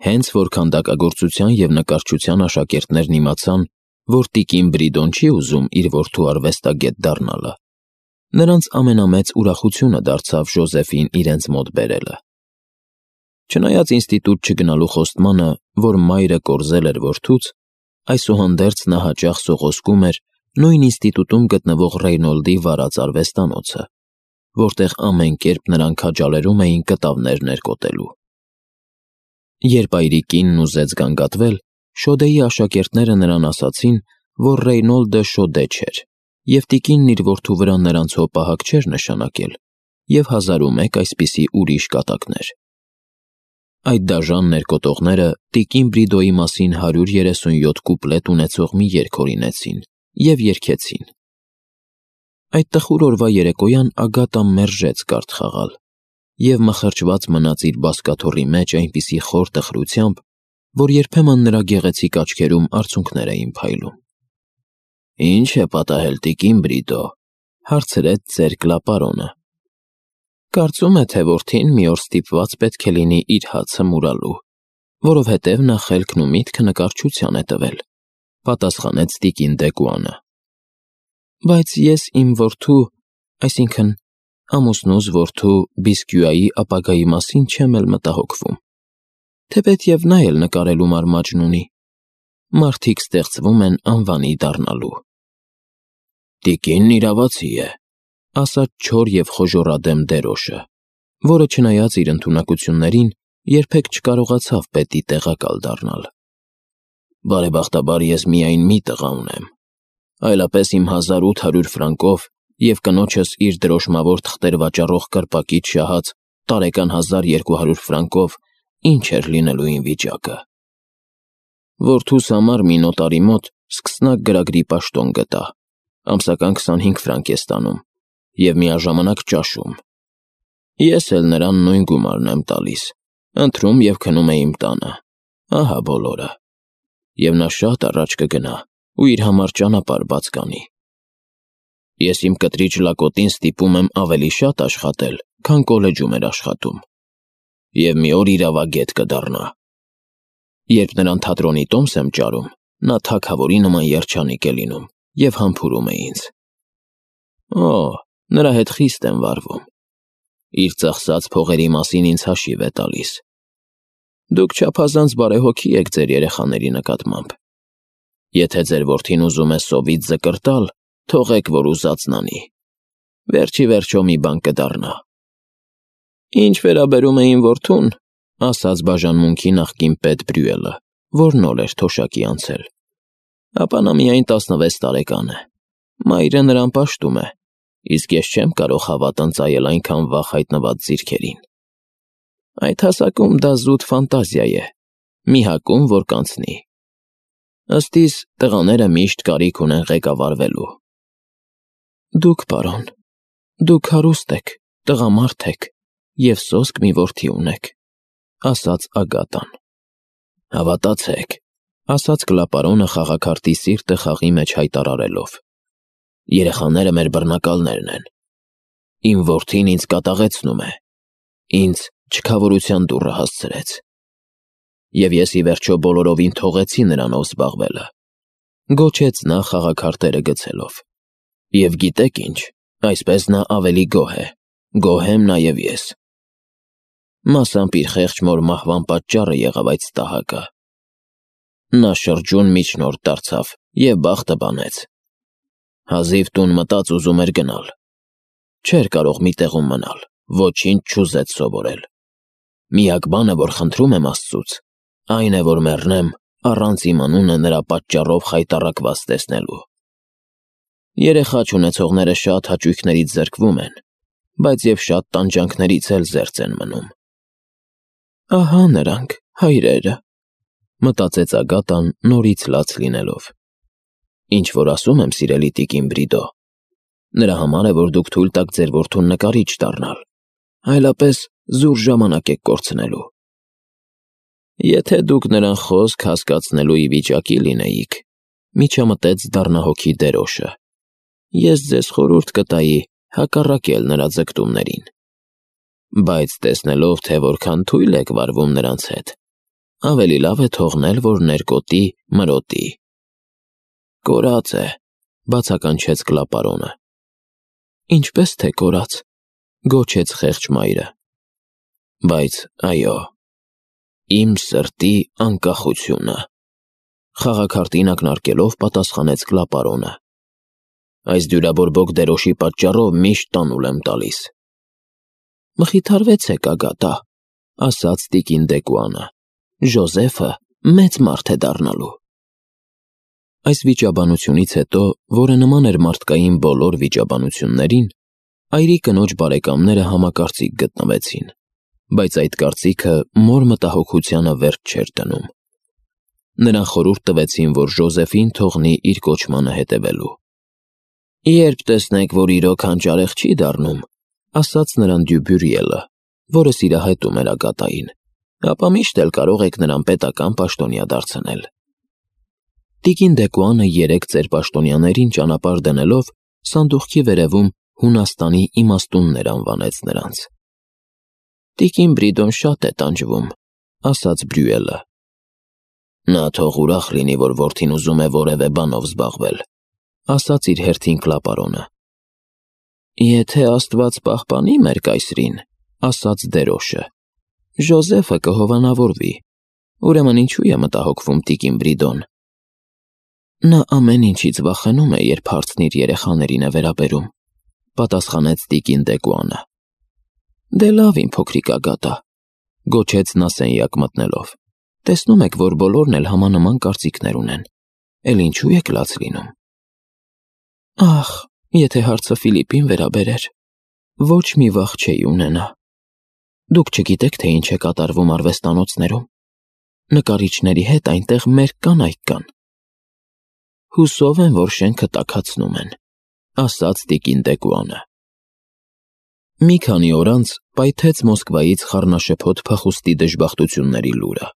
Հենց որ քանդակագործության և նկարչության աշակերտներն իմացան, որ տիկին Բրիդոն չի ուզում իր որդու արվեստագետ դառնալը, նրանց ամենամեծ ուրախությունը դարձավ Ժոզեֆին իրենց մոտ բերելը։ Չնայած ինստիտուտ չգնալու խոստմանը, որ մայրը կորզել էր որդուց, այսուհանդերձ նա հաճախ սողոսկում էր նույն ինստիտուտում գտնվող Ռեյնոլդի վարած արվեստանոցը, որտեղ ամեն կերպ նրան քաջալերում էին կտավներ ներկոտելու։ Երբ այրիկինն ուզեց գանգատվել, շոդեի աշակերտները նրան ասացին, որ Ռեյնոլդը շոդե չէր, և տիկինն իր որդու վրա նրանցով պահակ չէր նշանակել, և 1001 այսպիսի ուրիշ կատակներ։ Այդ դաժան ներկոտողները տիկին Բրիդոյի մասին 137 կուպլետ ունեցող մի երգ հորինեցին և երգեցին։ Այդ տխուր օրվա երեկոյան Ագատան մերժեց կարդ խաղալ և մխրճված մնաց իր բազկաթոռի մեջ այնպիսի խոր տխրությամբ, որ երբեմն նրա գեղեցիկ աչքերում արցունքներ էին փայլում։ «Ինչ է պատահել, տիկին Բրիդո», հարցրեց ծեր Կլապարոնը։ «Կարծում է, թե որդին մի օր ստիպված պետք է լինի իր հացը մուրալու, որովհետև նա խելքն ու միտքը նկարչության է տվել», պատասխանեց տիկին Դեկուանը։ «Բայց ես իմ որդու, այսինքն ամուսնուս որդու Բիսկյուայի ապագայի մասին չեմ էլ մտահոգվում, թեպետև նա էլ նկարելու մարմաճն ունի։ Մարդիկ ստեղծվում են անվանի դառնալու»։ «Տիկինն իրավացի է», ասաց չոր և խոժոռադեմ դերոշը, որը չնայած իր ընդունակություններին, երբեք չկարողացավ պետի տեղակալ դառնալ։ «Բարեբախտաբար ես միայն մի տղա ունեմ, այլապես իմ 1800 ֆրանկով և կնոջս իր դրոշմավոր թղթեր վաճառող կրպակից շահած տարեկան 1200 ֆրանկով ինչ էր լինելու իմ վիճակը։ Որդուս համար մի նոտարի մոտ սկսնակ գրագրի պաշտոն գտա, ամսական 25 ֆրանկ է ստանում և միաժամանակ ճաշում։ Ես էլ նրան նույն գումարն եմ տալիս, ընթրում և քնում է իմ տանը, ահա բոլորը։ Եվ նա շատ առաջ կգնա ու իր համար ճանապարհ բաց կանի։ Ես իմ կտրիչ լակոտին ստիպում եմ ավելի շատ աշխատել, քան կոլեջում էր աշխատում, և մի օր իրավագետ կդառնա։ Երբ նրան թատրոնի տոմս եմ ճարում, նա թագավորի նման երջանիկ է լինում և համբուրում է ինձ։ Օ, նրա հետ խիստ եմ վարվում։ Իր ծախսած փողերի մասին ինձ հաշիվ է տալիս։ Դուք չափազանց բարեհոգի եք ձեր երեխաների նկատմամբ։ Եթե ձեր որդին ուզում է սովից զկրտալ, թողեք, որ ուզածն անի։ Վերջի վերջո մի բան կդառնա։ Ինչ վերաբերում է իմ որդուն, ասաց բաժանմունքի նախկին պետ Բրյուելը, որ նոր էր թոշակի անցել, ապա նա միայն 16 տարեկան է։ Մայրը նրան պաշտում է, իսկ ես չեմ կարող հավատ ընծայել այնքան վաղ հայտնված ձիրքերին։ Այդ հասակում դա զուտ ֆանտազիա է, մի հակում, որ կանցնի։ Ըստ իս, տղաները միշտ կարիք ունեն ղեկավարվելու։ Դուք, պարոն, դուք հարուստ եք, տղամարդ եք և սոսկ մի որդի ունեք, ասաց Ագատան։ Հավատացեք, ասաց Կլապարոնը խաղաքարտի սիրտը խաղի մեջ հայտարարելով։ Երեխաները մեր բռնակալներն են։ Իմ որդին ինձ կատաղեցնում է, ինձ չքավորության դուռը հասցրեց։ Եվ ես ի վերջո բոլորովին թողեցի նրանով զբաղվելը, գոչեց նա խաղաքարտերը գցելով։ Եվ գիտեք ինչ, այսպես նա ավելի գոհ է, գոհ եմ նաև ես։ Մասամբ իր խեղճ մոր մահվան պատճառը եղավ այդ ստահակը։ Նա շրջուն միջնորդ դարձավ և բախտը բանեց։ Հազիվ տուն մտած ուզում էր գնալ։ Չէր կարող մի տեղում մնալ, ոչինչ չուզեց սովորել։ Միակ բանը, որ խնդրում եմ Աստծուց, այն է, որ մեռնեմ առանց իմ անունը նրա պատճառով խայտառակված տեսնելու։ Երեխա չունեցողները շատ հաճույքներից զրկվում են, բայց և շատ տանջանքներից էլ զերծ են մնում։ Ահա նրանք, հայրերը, մտածեց Ագատան նորից լաց լինելով։ Ինչ որ ասում եմ, սիրելի տիկին Բրիդո, նրա համար է, որ դուք թույլ տաք ձեր որդուն նկարիչ դառնալ, այլապես զուր ժամանակ եք կորցնելու։ Եթե դուք նրան խոսք հասկացնելու ի վիճակի լինեիք, միջամտեց դառնահոգի դերոշը, ես ձեզ խորհուրդ կտայի հակառակել նրա ձգտումներին։ Բայց տեսնելով, թե որքան թույլ եք վարվում նրանց հետ, ավելի լավ է թողնել, որ ներկոտի, մրոտի։ Կորած է, բացականչեց Կլապարոնը։ Ինչպես թե կորած, գոչեց խեղճ մայրը։ Բայց այո, իմ սրտի անկախությունը, խաղաքարտին ակնարկելով պատասխանեց Կլապարոնը։ Այս դյուրաբորբոք դերոշի պատճառով միշտ տանուլ եմ տալիս։ Մխիթարվեցեք, ագատա, ասաց տիկին Դեկուանը։ Ժոզեֆը մեծ մարդ է դառնալու։ Այս վիճաբանությունից հետո, որը նման էր մարդկային բոլոր վիճաբանություններին, այրի կնոջ բարեկամները համակարծիք գտնվեցին, բայց այդ կարծիքը մոր մտահոգությանը վերջ չէր դնում։ Նրան խորհուրդ տվեցին, որ Ժոզեֆին թողնի իր կոչմանը հետևելու։ Երբ տեսնեք, որ իրոք հանճարեղ չի դառնում, ասաց նրան Դյուբյուրիելը, որը սիրահետում էր ագատային, ապա միշտ էլ կարող եք նրան պետական պաշտոնյա դարձնել։ Տիկին Դեկուանը 3 ծեր պաշտոնյաներին ճանապարհ դնելով սանդուղքի վերևում Հունաստանի իմաստուններ անվանեց նրանց։ Տիկին Բրիդոն շատ է տանջվում, ասաց Բրյուելը։ Նա թող ուրախ լինի, որ որդին ուզում է որևէ բանով զբաղվել, ասաց իր հերթին Կլապարոնը։ Եթե Աստված պահպանի մեր կայսրին, ասաց դերոշը, Ժոզեֆը կհովանավորվի, ուրեմն ինչու է մտահոգվում տիկին Բրիդոն։ Նա ամեն ինչից վախենում է, երբ հարցն իր երեխաներին է վերաբերում, պատասխանեց տիկին Դեկուանը։ Դե լավ, իմ փոքրիկ ագատա, գոչեց նա սենյակ մտնելով։ Տեսնում եք, որ բոլորն էլ համանման կարծիքներ ունեն, էլ ինչու եք լաց լինում։ Ախ, եթե հարցը Ֆիլիպին վերաբերեր, ոչ մի վախ չէի ունենա։ Դուք չգիտեք, թե ինչ է կատարվում արվեստանոցներում։ Նկարիչների հետ այնտեղ մեր կանայք կան։ Հուսով եմ, որ շենքը տաքացնում են, ասաց տիկին Դեկուանը։ Մի քանի օր անց պայթեց Մոսկվայից խառնաշփոթ փախուստի դժբախտությունների լուրը։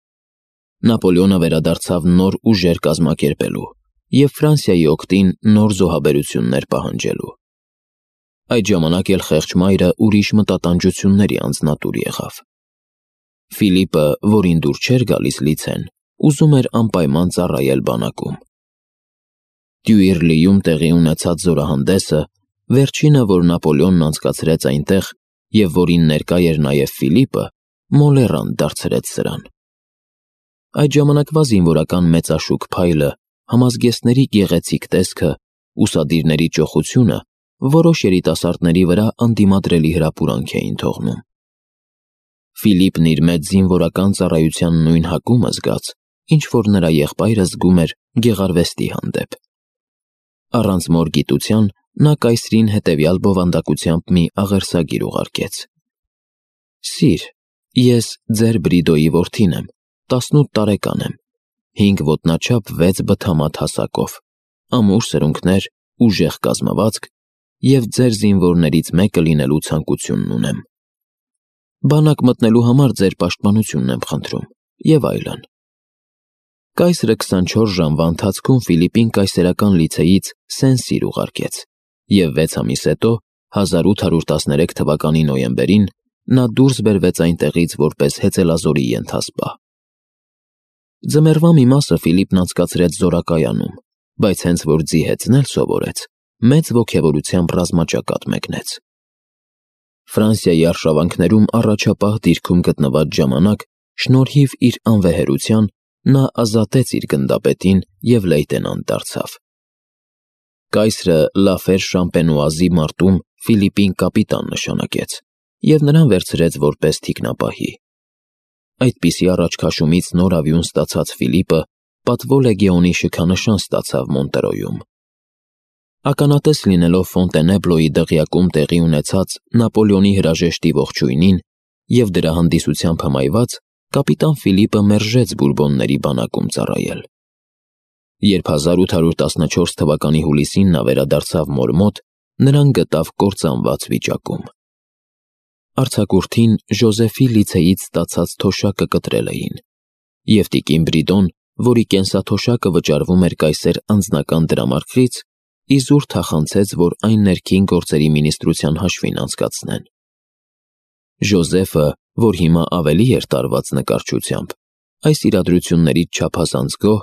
Նապոլեոնը վերադարձավ նոր ուժեր կազմակերպելու և Ֆրանսիայի օգտին նոր զոհաբերություններ պահանջելու։ Այդ ժամանակ էլ խեղճ մայրը ուրիշ մտատանջությունների անձնատուր եղավ։ Ֆիլիպը, որին դուր չէր գալիս լիցեն, ուզում էր անպայման ծառայել բանակում։ Դյուիրլիում տեղի ունեցած զորահանդեսը, վերջինը, որ Նապոլեոնն անցկացրեց այնտեղ և որին ներկա էր նաև Ֆիլիպը, մոլեռանդ դարձրեց սրան։ Այդ ժամանակվա զինվորական մեծաշուք փայլը, համազգեստների գեղեցիկ տեսքը, ուսադիրների ճոխությունը որոշ երիտասարդների վրա անդիմադրելի հրապուրանք էին թողնում։ Ֆիլիպն իր մեծ զինվորական ծառայության նույն հակումը զգաց, ինչ որ նրա եղբայրը զգում էր գեղարվեստի հանդեպ։ Առանց մոր գիտության նա կայսրին հետևյալ բովանդակությամբ մի աղերսագիր ուղարկեց. Սիր, ես ձեր Բրիդոյի որդին եմ, 18 տարեկան եմ, 5 ոտնաչափ 6 բթամատ հասակով, ամուր սրունքներ, ուժեղ կազմվածք և ձեր զինվորներից մեկը լինելու ցանկությունն ունեմ։ Բանակ մտնելու համար ձեր պաշտպանությունն եմ խնդրում, և այլն։ Կայսրը 24 ժամվա ընթացքում Ֆիլիպին կայսերական լիցեից Սեն-Սիր ուղարկեց, և 6 ամիս հետո, 1813 թվականի նոյեմբերին, նա դուրս բերվեց այնտեղից որպես հեծելազորի ենթասպա։ Ձմեռվա մի մասը Ֆիլիպն անցկացրեց զորակայանում, բայց հենց որ ձի հեծնել սովորեց, մեծ ոգևորությամբ ռազմաճակատ մեկնեց։ Ֆրանսիայի արշավանքներում առաջապահ դիրքում գտնված ժամանակ, շնորհիվ իր անվեհերության, նա ազատեց իր գնդապետին և լեյտենանտ դարձավ։ Կայսրը Լաֆեր Շամպենուազի մարտում Ֆիլիպին կապիտան նշանակեց և նրան վերցրեց որպես թիկնապահի։ Այդպիսի առաջքաշումից նոր ավյուն ստացած Ֆիլիպը պատվո լեգեոնի շքանշան ստացավ Մոնտերոյում։ Ականատես լինելով Ֆոնտենեբլոյի դղյակում տեղի ունեցած Նապոլեոնի հրաժեշտի ողջույնին և դրա հանդիսությամբ հմայված, կապիտան Ֆիլիպը մերժեց բուրբոնների բանակում ծառայել։ Երբ 1814 թվականի հուլիսին նա վերադարձավ մոր մոտ, նրան գտավ կործանված վիճակում։ Արձակուրդին Ժոզեֆի լիցեից ստացած թոշակը կտրել էին, և տիկին Բրիդոն, որի կենսաթոշակը վճարվում էր կայսեր անձնական դրամարկղից, իզուր թախանցեց, որ այն ներքին գործերի մինիստրության հաշվին անցկացնեն։ Ժոզեֆը, որ հիմա ավելի էր տարված նկարչությամբ, այս իրադրություններից չափազանց գոհ,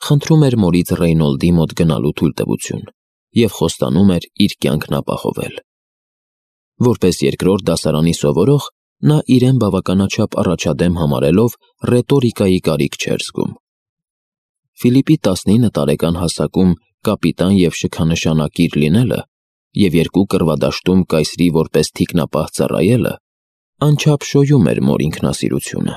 խնդրում էր մորից Ռեյնոլդի մոտ գնալու թույլտվություն և խոստանում էր իր կյանքն ապահովել։ Որպես երկրորդ դասարանի սովորող, նա իրեն բավականաչափ առաջադեմ համարելով ռետորիկայի կարիք չէր զգում։ Ֆիլիպի 19 տարեկան հասակում կապիտան և շքանշանակիր լինելը և 2 կռվադաշտում կայսրի որպես թիկնապահ ծառայելը անչափ շոյում էր մոր ինքնասիրությունը։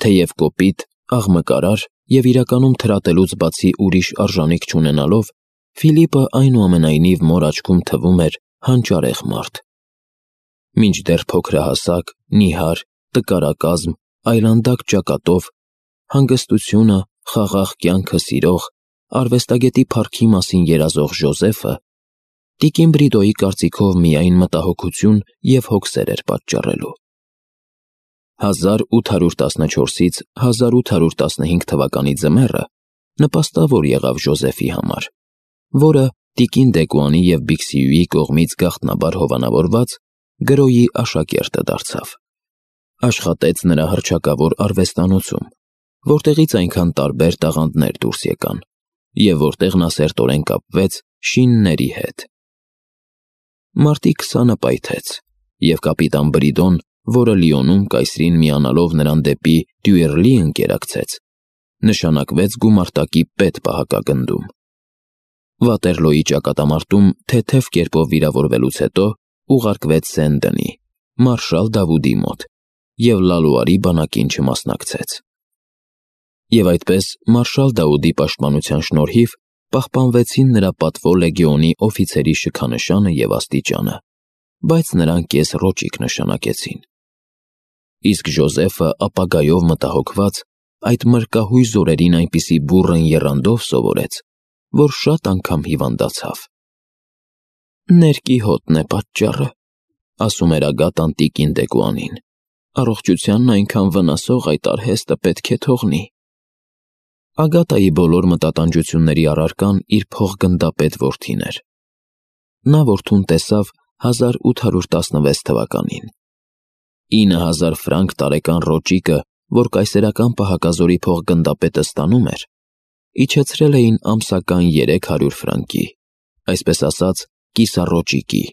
Թեև կոպիտ, աղմկարար և իրականում թրատելուց բացի ուրիշ արժանիք չունենալով, Ֆիլիպը այնուամենայնիվ մոր աչքում թվում էր հանճարեղ մարդ։ Մինչդեռ փոքրահասակ, նիհար, տկարակազմ, այլանդակ ճակատով, հանգստությունը, խաղաղ կյանքը սիրող, արվեստագետի փառքի մասին երազող Ժոզեֆը տիկին Բրիդոյի կարծիքով միայն մտահոգություն և հոգսեր էր պատճառելու։ 1814-ից 1815 թվականի ձմեռը նպաստավոր եղավ Ժոզեֆի համար, որը տիկին Դեկուանի և Բիքսիուի կողմից գաղտնաբար հովանավորված գրոյի աշակերտը դարձավ։ Աշխատեց նրա հռչակավոր արվեստանոցում, որտեղից այնքան տարբեր տաղանդներ դուրս եկան, և որտեղ նա սերտորեն կապվեց շինների հետ։ Մարտի 20-ը պայթեց, և կապիտան Բրիդոն, որը Լիոնում կայսրին միանալով նրան դեպի Դյուեռլի ընկերակցեց, նշանակվեց գումարտակի պետ պահակագնդում։ Վատերլոյի ճակատամարտում թեթև կերպով վիրավորվելուց հետո ուղարկվեց Սեն-Դենի, մարշալ Դավուդի մոտ և Լալուարի բանակին չմասնակցեց։ Եվ այդպես մարշալ Դավուդի պաշտպանության շնորհիվ պահպանվեցին նրա պատվո լեգիոնի օֆիցերի շքանշանը և աստիճանը, բայց նրան կես ռոճիկ նշանակեցին։ Իսկ Ժոզեֆը ապագայով մտահոգված այդ մրկահույս օրերին այնպիսի բուռն եռանդով սովորեց, որ շատ անգամ հիվանդացավ։ «Ներկի հոտն է պատճառը», ասում էր Ագատան տիկին Դեկուանին, «առողջությանն այնքան վնասող այդ արհեստը պետք է թողնի»։ Ագատայի բոլոր մտատանջությունների առարկան իր փոխգնդապետ որդին էր։ Նա որդուն տեսավ 1816 թվականին։ 9000 ֆրանկ տարեկան ռոճիկը, որ կայսերական պահակազորի փոխգնդապետը ստանում էր, իջեցրել էին ամսական 300 ֆրանկի, այսպես ասած կիսառոճիկի։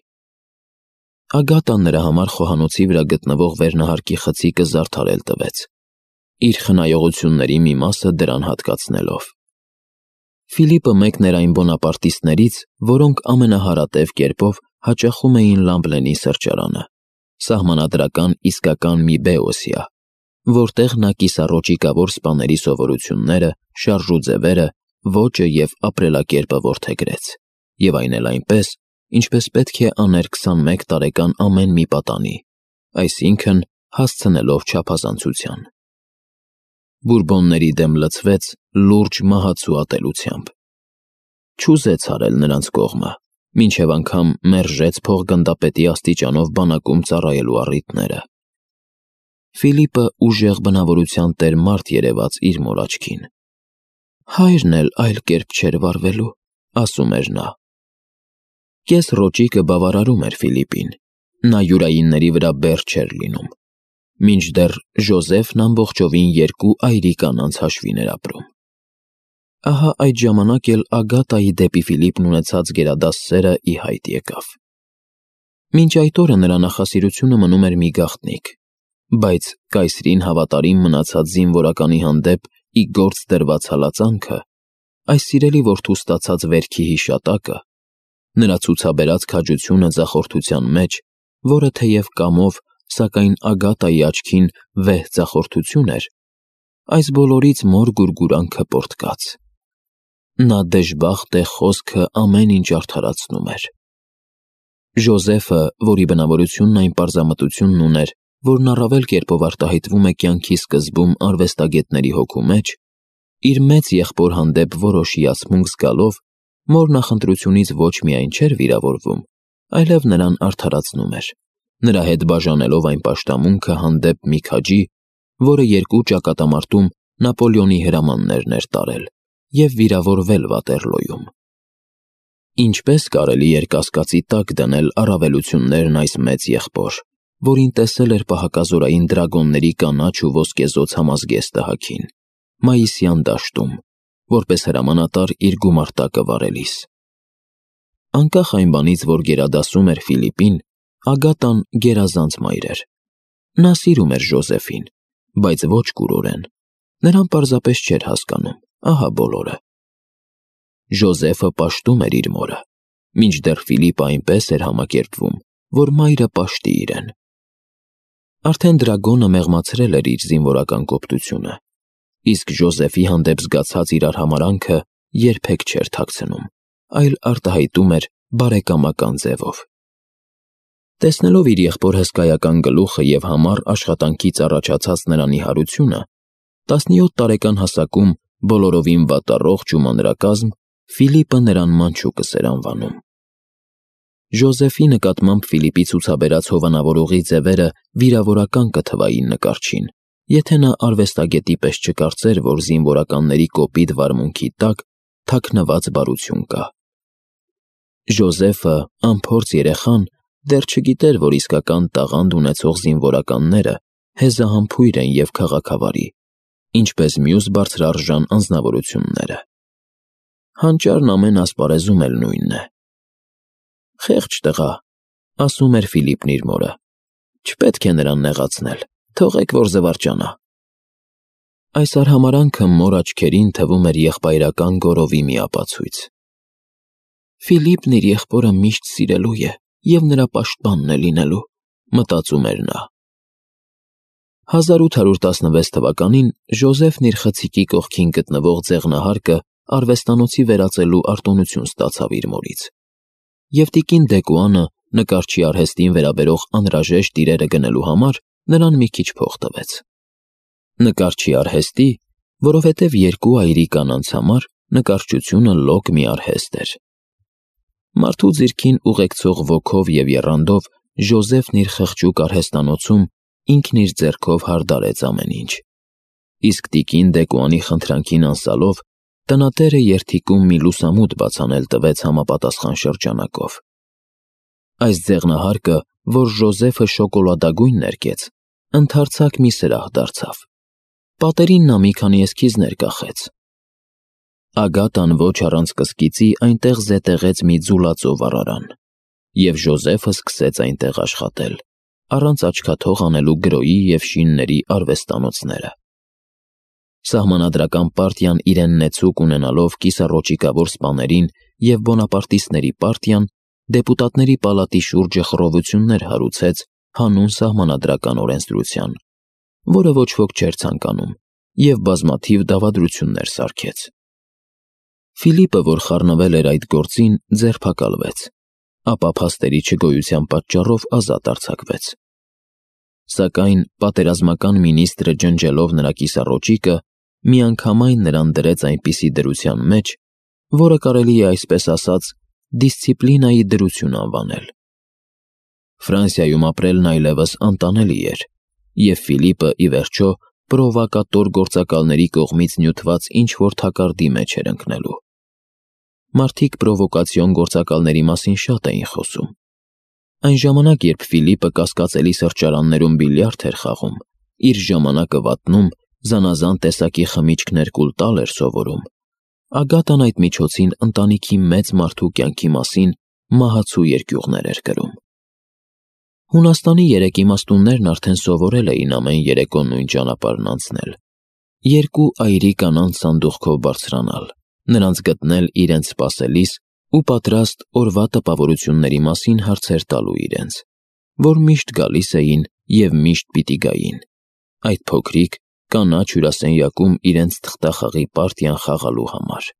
Ագատան նրա համար խոհանոցի վրա գտնվող վերնահարկի խցիկը զարդարել տվեց, իր խնայողությունների մի մասը դրան հատկացնելով։ Ֆիլիպը մեկն էր այն բոնապարտիստներից, որոնք ամենահարատև կերպով հաճախում էին Լամբլենի սրճարանը, սահմանադրական իսկական մի Բեոսիա, որտեղ նա կիսառոճիկավոր սպաների սովորությունները, շարժուձևերը, ոճը և ապրելակերպը որդեգրեց, և այն էլ այնպես, ինչպես պետք է աներ 21 տարեկան ամեն մի պատանի, այսինքն հասցնելով չափազանցության։ Բուրբոնների դեմ լցվեց լուրջ մահացու ատելությամբ։ Չուզեց հարել նրանց կողմը, մինչև անգամ մերժեց փոխգնդապետի աստիճանով բանակում ծառայելու առիթները։ Ֆիլիպը ուժեղ բնավորության տեր մարդ երևաց իր մոր աչքին։ «Հայրն էլ այլ կերպ չէր վարվելու», ասում էր նա։ Կես ռոճիկը բավարարում էր Ֆիլիպին, նա յուրայինների վրա բեռ չէր լինում, մինչդեռ Ժոզեֆն ամբողջովին 2 այրի կանանց հաշվին էր ապրում։ Ահա այդ ժամանակ էլ Ագատայի դեպի Ֆիլիպն ունեցած գերադաս սերը ի հայտ եկավ։ Մինչ այդ օրը նրա նախասիրությունը մնում էր մի գաղտնիք, բայց կայսրին հավատարիմ մնացած զինվորականի հանդեպ ի գործ դրված հալածանքը, այս սիրելի որդու ստացած վերքի հիշատակը, նրա ցուցաբերած քաջությունը ձախորդության մեջ, որը թեև կամով, սակայն Ագատայի աչքին վեհ ձախորդություն էր, այս բոլորից մոր գուրգուրանքը պոռթկաց։ Նա դժբախտ է խոսքը ամեն ինչ արդարացնում էր։ Ժոզեֆը, որի բնավորությունն այն պարզամտությունն ուներ, որն առավել կերպով արտահայտվում է կյանքի սկզբում արվեստագետների հոգու մեջ, իր մեծ եղբոր հանդեպ որոշ հիացմունք զգալով, մոր նախընտրությունից ոչ միայն չէր վիրավորվում, այլև նրան արդարացնում էր, նրա հետ բաժանելով այն պաշտամունքը հանդեպ մի քաջի, որը 2 ճակատամարտում Նապոլեոնի հրամաններն էր տարել և վիրավորվել Վատերլոյում։ Ինչպես կարելի էր կասկածի տակ դնել առավելություններն այս մեծ եղբոր, որին տեսել էր պահակազորային դրագոնների կանաչ ու ոսկեզոծ համազգեստը հագին, մայիսյան դաշտում, որպես հրամանատար իր գումարտակը վարելիս։ Անկախ այն բանից, որ գերադասում էր Ֆիլիպին, Ագատան գերազանց մայր էր։ Նա սիրում էր Ժոզեֆին, բայց ոչ կուրորեն։ Նրան պարզապես չէր հասկանում, ահա բոլորը։ Ժոզեֆը պաշտում էր իր մորը, մինչդեռ Ֆիլիպը այնպես էր համակերպվում, որ մայրը պաշտի իրեն։ Արդեն դրագոնը մեղմացրել էր իր զինվորական կոպտությունը, իսկ Ժոզեֆի հանդեպ զգացած իր արհամարհանքը երբեք չէր թաքցնում, այլ արտահայտում էր բարեկամական ձևով։ Տեսնելով իր եղբոր հսկայական գլուխը և համառ աշխատանքից առաջացած նրա նիհարությունը, 17 տարեկան հասակում բոլորովին վատառողջ ու մանրակազմ, Ֆիլիպը նրան մանչուկս էր անվանում։ Ժոզեֆի նկատմամբ Ֆիլիպի ցուցաբերած հովանավորողի ձևերը վիրավորական կթվային նկարչին, եթե նա արվեստագետի պես չկարծեր, որ զինվորականների կոպիտ վարմունքի տակ թաքնված բարություն կա։ Ժոզեֆը, անփորձ երեխան, դեռ չգիտեր, որ իսկական տաղանդ ունեցող զինվորականները հեզահամբույր են և քաղաքավարի, ինչպես մյուս բարձրարժան անձնավորությունները։ Հանճարն ամեն ասպարեզում էլ նույնն է։ «Խեղճ տղա», ասում էր Ֆիլիպն իր մորը, «չպետք է նրան նեղացնել, թողեք, որ զվարճանա»։ Այս արհամարհանքը մոր աչքերին թվում էր եղբայրական գոռովի մի ապացույց։ «Ֆիլիպն իր եղբորը միշտ սիրելու է և նրա պաշտպանն է լինելու», մտածում էր նա։ 1816 թվականին Ժոզեֆն իր խցիկի կողքին գտնվող ձեղնահարկը արվեստանոցի վերածելու արտոնություն ստացավ իր մորից, և տիկին Դեկուանը նկարչի արհեստին վերաբերող անհրաժեշտ իրերը գնելու համար նրան մի քիչ փող տվեց։ Նկարչի արհեստի, որովհետև երկու այրի կանանց համար նկարչությունը լոկ մի արհեստ էր։ Մարդու ձիրքին ուղեկցող ոգով և եռանդով Ժոզեֆն իր խղճուկ արհեստանոցում ինքն իր ձեռքով հարդարեց ամեն ինչ, իսկ տիկին Դեկուանի խնդրանքին անսալով տնատերը երթիկում մի լուսամուտ բացանել տվեց համապատասխան շրջանակով։ Այս ձեղնահարկը, որ Ժոզեֆը շոկոլադագույն ներկեց, ընդարձակ մի սրահ դարձավ։ Պատերին նա մի քանի էսքիզներ կախեց։ Ագատան ոչ առանց կսկիծի այնտեղ զետեղեց մի ձուլածո վառարան, և Ժոզեֆը սկսեց այնտեղ աշխատել, առանց աչքաթող անելու գրոյի և շինների արվեստանոցները։ Սահմանադրական պարտիան իրեն նեցուկ ունենալով կիսառոճիկավոր սպաներին և բոնապարտիստների պարտիան դեպուտատների պալատի շուրջը խռովություններ հարուցեց հանուն սահմանադրական օրենսդրության, որը ոչ ոք չէր ցանկանում, և բազմաթիվ դավադրություններ սարքեց։ Ֆիլիպը, որ խառնվել էր այդ գործին, ձերբակալվեց, ապա փաստերի չգոյության պատճառով ազատ արձակվեց։ Սակայն պատերազմական մինիստրը ջնջելով նրա կիսառոճիկը, միանգամայն նրան դրեց այնպիսի դրության մեջ, որը կարելի է այսպես ասած դիսցիպլինայի դրություն անվանել։ Ֆրանսիայում ապրելն այլևս անտանելի էր, և Ֆիլիպը, ի վերջո, պրովոկատոր գործակալների կողմից նյութված ինչ-որ թակարդի մեջ էր ընկնելու։ Մարդիկ պրովոկացիոն գործակալների մասին շատ էին խոսում։ Այն ժամանակ, երբ Ֆիլիպը կասկածելի սրճարաններում բիլիարդ էր խաղում, իր ժամանակը վատնում, զանազան տեսակի խմիչքներ կուլ տալ էր սովորում, Ագատան այդ միջոցին ընտանիքի մեծ մարդու կյանքի մասին մահացու երկյուղներ էր գրում։ Հունաստանի երեք իմաստուններն արդեն սովորել էին ամեն երեկո նույն ճանապարհն անցնել, երկու այրի կանանց սանդուղքով բարձրանալ, նրանց գտնել իրենց սպասելիս ու պատրաստ օրվա տպավորությունների մասին հարցեր տալու իրենց, որ միշտ գալիս էին և միշտ պիտի գային, այդ փոքրիկ կանաչ հյուրասենյակում իրենց թղթախաղի պարտիան խաղալու համար։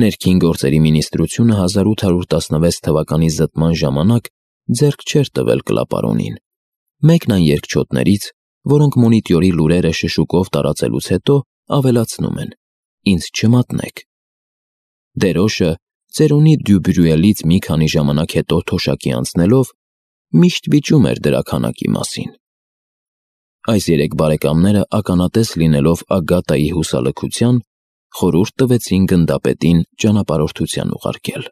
Ներքին գործերի մինիստրությունը 1816 թվականի զտման ժամանակ ձեռք չէր տվել կլապարոնին, մեկն այն երկչոտներից, որոնք մոնիտորի լուրերը շշուկով տարածելուց հետո ավելացնում են. «Ինձ չմատնեք»։ Դերոշը ծերունի Դյուբրյուելից մի քանի ժամանակ հետո թոշակի անցնելով միշտ վիճում էր դրա քանակի մասին։ Այս երեք բարեկամները ականատես լինելով Ագատայի հուսալքության, խորհուրդ տվեցին գնդապետին ճանապարհորդության ուղարկել։